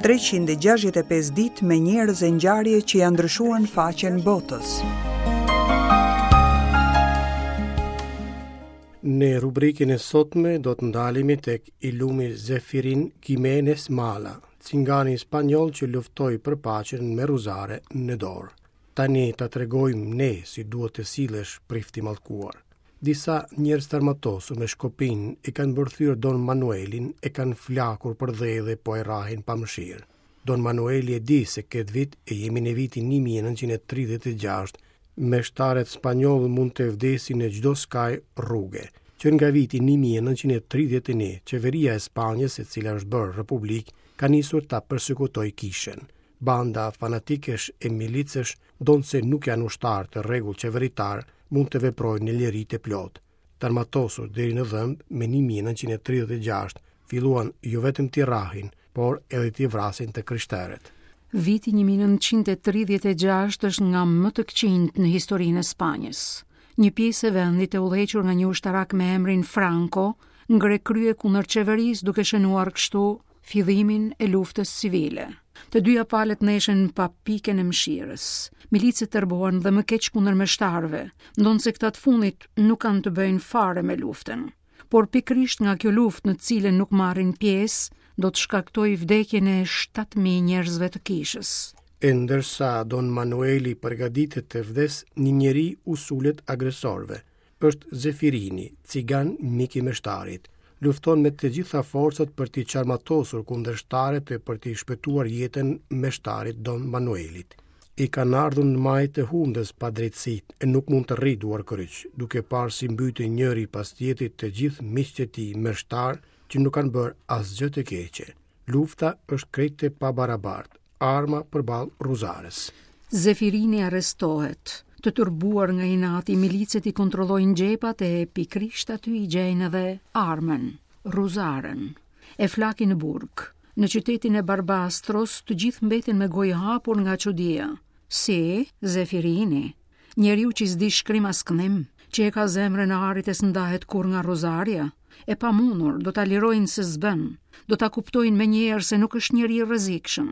365 ditë me njerëz e ngjarje që ia ndryshuan faqen botës. Në rubrikën e sotme do të ndalemi tek i lumi Zefirin Gimenez Mala, cingani spanjoll që luftoi për paqen me rruzare në dorë. Tani ta tregojmë ne si duhet të sillesh prift i mallkuar. Disa njerëz të armatosur me shkopinj e kanë mbërthyer Don Manuelin, e kanë flakur për dhe dhe po e rrahin pa mëshirë. Don Manueli e di se këtë vit e jemi në vitin 1936, meshtarët spanjollë mund të vdesin në çdo skaj rruge. Që nga viti 1931, qeveria e Spanjës, e cila është bërë republikë, ka nisur ta persekutojë kishën. Banda fanatikësh e milicësh, ndonëse nuk janë ushtarë të rregullt qeveritar, mund të veprojnë në liri të plotë. Të armatosur deri në dhëmbë, më 1936 filluan jo vetëm t'i rrahin, por edhe t'i vrasin të krishterët. Viti 1936 është nga më të këqijtë në historinë e Spanjës. Një pjesë e vendit e udhëhequr nga një ushtarak me emrin Franco, ngre krye kundër qeverisë duke shënuar kështu fillimin e luftës civile. Të dyja palët ndeshen pa pikën e mëshirës. Milicët tërbohen dhe më keq kundër meshtarëve, ndonëse këta të fundit nuk kanë të bëjnë fare me luftën. Por pikërisht nga kjo luftë në të cilën nuk marrin pjesë, do të shkaktojë vdekjen e 7000 njerëzve të kishës. E ndërsa Don Manueli përgatitet të vdesë, një njeri u sulet agresorëve. Është Zefirini, cigan mik i meshtarit. Lufton me të gjitha forcat për t'i çarmatosur kundërshtarët e për t'i shpëtuar jetën meshtarit Don Manuelit. I kanë ardhur në majë të hundës padrejtësitë e nuk mund të rrijë duarkryq, duke parë si mbyten njëri pas tjetrit të gjithë miqtë e tij meshtarë që nuk kanë bërë asgjë të keqe. Lufta është krejt e pabarabartë. Arma përballë rruzares. Zefirini arrestohet. Të tërbuar nga inati, milicët i kontrollojnë xhepat e pikërisht aty i gjejnë edhe armën, rruzaren. E flakin në burg. Në qytetin e Barbastros, të gjithë mbeten me gojë hapur nga çudia. Si, Zefirini, njeriu që s'di shkrim as këndim, që e ka zemrën e arit e s'ndahet kurrë nga rruzarja, e pamundur, do ta lirojnë se s'bën, do ta kuptojnë menjëherë se nuk është njeri i rrezikshëm.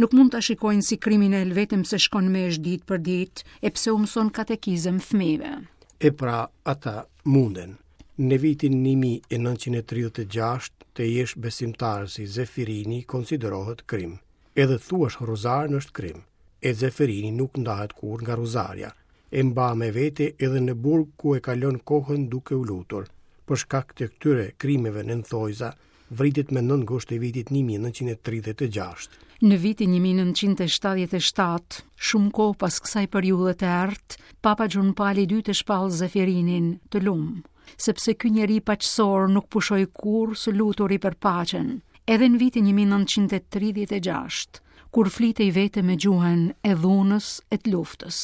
Nuk mund ta shikojnë si kriminel vetëm pse shkon meshë ditë për ditë e pse u mëson katekizëm fëmijëve. E pra, ata munden. Në vitin 1936, të jesh besimtar si Zefirini konsiderohet krim. Edhe të thuash rruzaren është krim. E Zefirini nuk ndahet kurrë nga rruzarja. E mba me vete edhe në burg ku e kalon kohën duke u lutur. Për shkak të këtyre krimeve në thonjëza, vritet më 9 gusht të vitit 1936. Në vitin 1977, shumë kohë pas kësaj periudhe të errët, Papa Gjon Pali II e shpall Zefirinin të lum, sepse ky njeri paqësor nuk pushoi kurrë së luturi për paqen, edhe në vitin 1936, kur flitej vetëm me gjuhën e dhunës e të luftës.